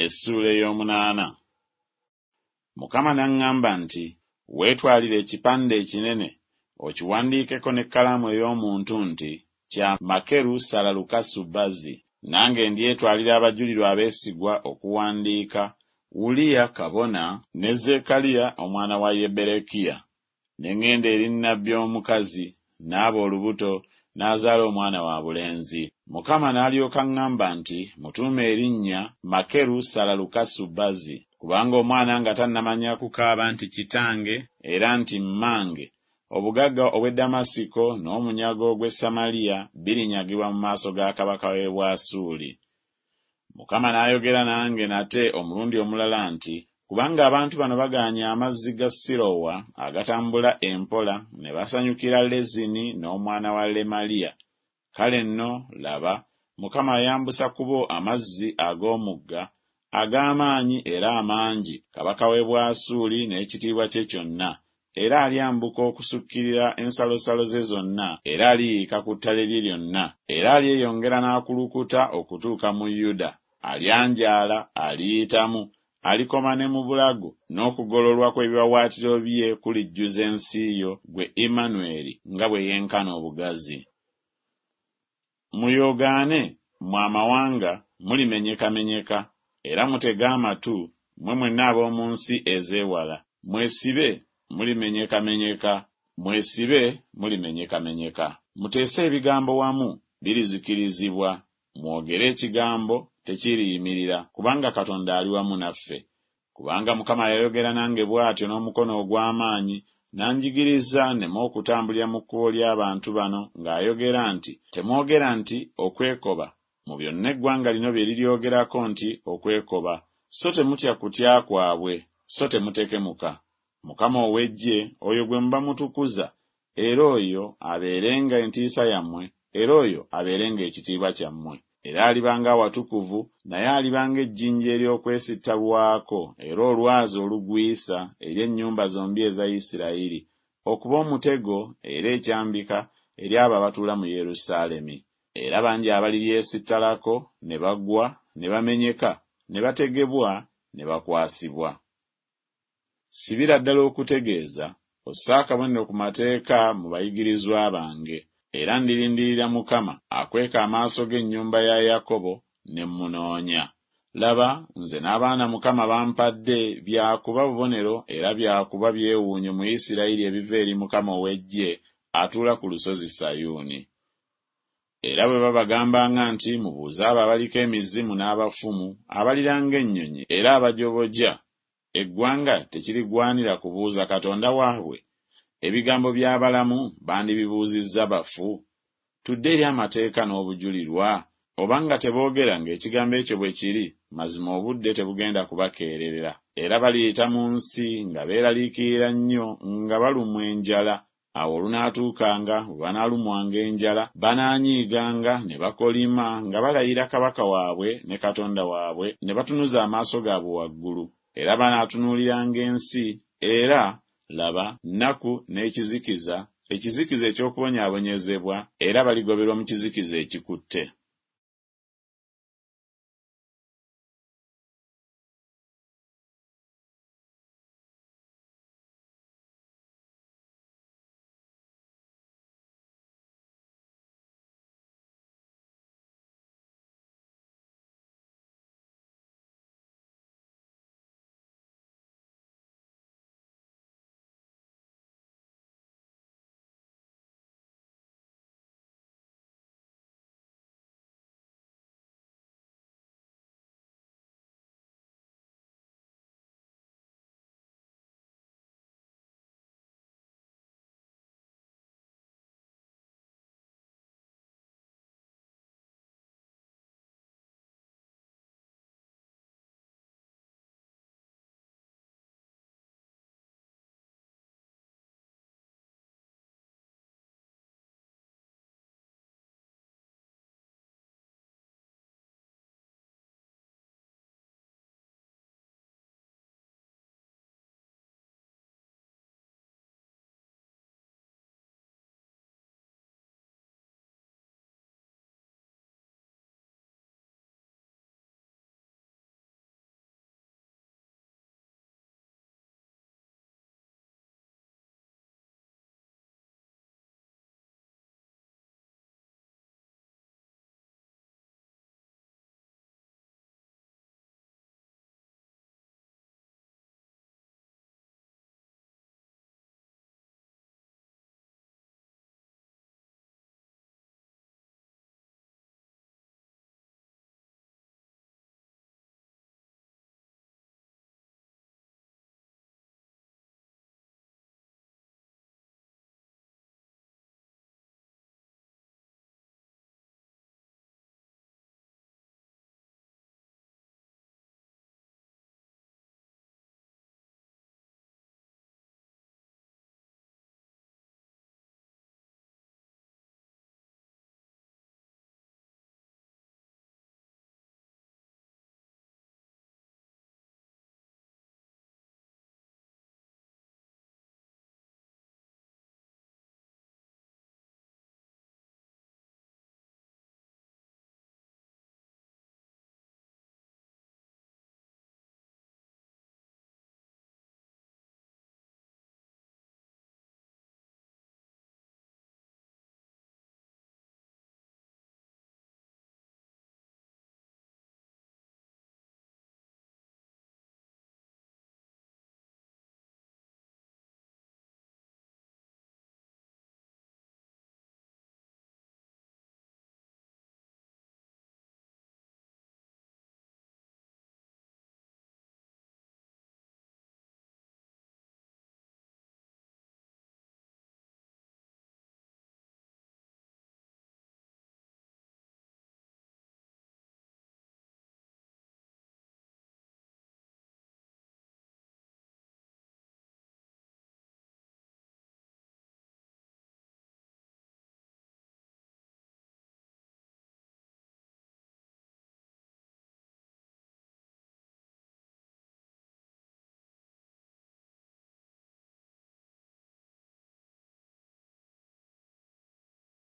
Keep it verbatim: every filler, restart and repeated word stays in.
Essuula ey'omunaana. Mukama n'aŋŋamba nti, weetwalire ekipande ekinene, okiwandiikeko n'ekkalaamu ey'omuntu nti, kya Makeru Salalukasu Bazi. Nange ndyetwalira abajulirwa abeesigwa okuwandiika, Uliya kabona ne Zekkaliya omwana wa Yeberekiya. Ne ŋŋenda eri nnabbi omukazi, n'aba olubuto, n'azaala omwana wa bulenzi. Mukama n'alyoka aŋŋamba nti, Mutuume erinnya Makeru Salalukasu Bazi, kubanga omwana nga tannamanya kukaaba nti Kitange era nti Mmange, obugagga obw'e Ddamasiko n'omunyago gw'e Samaliya birinyagibwa mu maaso ga kabaka w'e Bwasuuli. Mukama n'ayogera nange nate omulundi omulala nti, kubanga abantu bano bagaanye amazzi ga Sirowa agatambula empola ne basanyukira Lezini n'omwana wa Lemaliya. Kale nno, laba, Mukama ayambusa ku bo amazzi ag'omugga ag'amaanyi era amangi, kabaka w'e Bwasuuli n'ekitiibwa kye kyonna, era alyambuka okusukkirira ensalosalo ze zonna, era aliyiika ku ttale lye lyonna, era alyeyongera n'akulukuta okutuuka mu Yuda, alyanjaala, aliyitamu, alikoma ne mu bulago, n'okugololwa kw'ebiwaawaatiro bye kulijjuza ensi yo, ggwe Emmanweri, nga bwe yenkana obugazi. Muyoogaane, mmwe amawanga, mulimenyekamenyeka, era mutege amatu, mmwe mwenna ab'omu nsi ez'ewala. Mwesibe, mulimenyekamenyeka, mwesibe, mulimenyekamenyeka. Muteese ebigambo wamu, birizikirizibwa. Mwogere ekigambo, tekiriyimirira, kubanga Katonda ali wamu naffe. Kubanga Mukama yayogera nange bw'atyo n'omukono ogw'amaanyi, n'anjigiriza nneme okutambulira mu kkubo ly'abantu bano, ng'ayogera nti, Temwogera nti, Okwekoba, mu byonna eggwanga lino bye liryogerako nti, Okwekoba, so temutya kutya kwabwe, so temutekemuka. Mukama ow'eggye, oyo gwe muba mutukuza, era oyo abeerenga entiisa yammwe, era oyo abeerenga ekitiibwa kyammwe. Era alibanga awatukuvu, naye alibanga ejjinja ery'okwesittalwako era olwazi olugwisa eri ennyumba zombi eza Isirayiri, okuba omutego era ekyambika eri abo abatuula mu Yerusaalemi. Era bangi abaliryesittalako ne bagwa, ne bamenyeka, ne bategebwa, ne bakwasibwa. Sibira ddala okutegeeza, osse akabonero ku mateeka mu bayigirizwa bange. Era ndirindirira Mukama akweka amaaso g'ennyumba ya Yakobo, ne mmunoonya. Laba, nze n'abaana Mukama bampadde bya kuba bubonero era bya kuba byewuunyo mu Isirayiri ebiva eri Mukama ow'eggye atuula ku lusozi Sayuuni. Era bwe babagambanga nti, Mubuuze abo abaliko emizimu n'abafumu, abaliranga ennyonyi era abajoboja, eggwanga tekirigwanira kubuuza Katonda waabwe? Ebigambo by'abalamu bandibibuuzizza bafu? Tudde eri amateeka n'obujulirwa, obanga teboogera ng'ekigambo ekyo bwe kiri, mazima obudde tebugenda kubakeererera. Era baliyita mu nsi nga beeraliikirira nnyo nga balumwa enjala. Awo olunaatuukanga bwe banaalumwanga enjala, banaanyiiganga ne bakolima nga balayira kabaka waabwe ne Katonda waabwe, ne batunuza amaaso gaabwe waggulu. Era banaatunuuliranga ensi, era, laba, nnaku n'ekizikiza, ekizikiza eky'okubonyaabonyezebwa, era baligoberwa mu kizikiza ekikutte.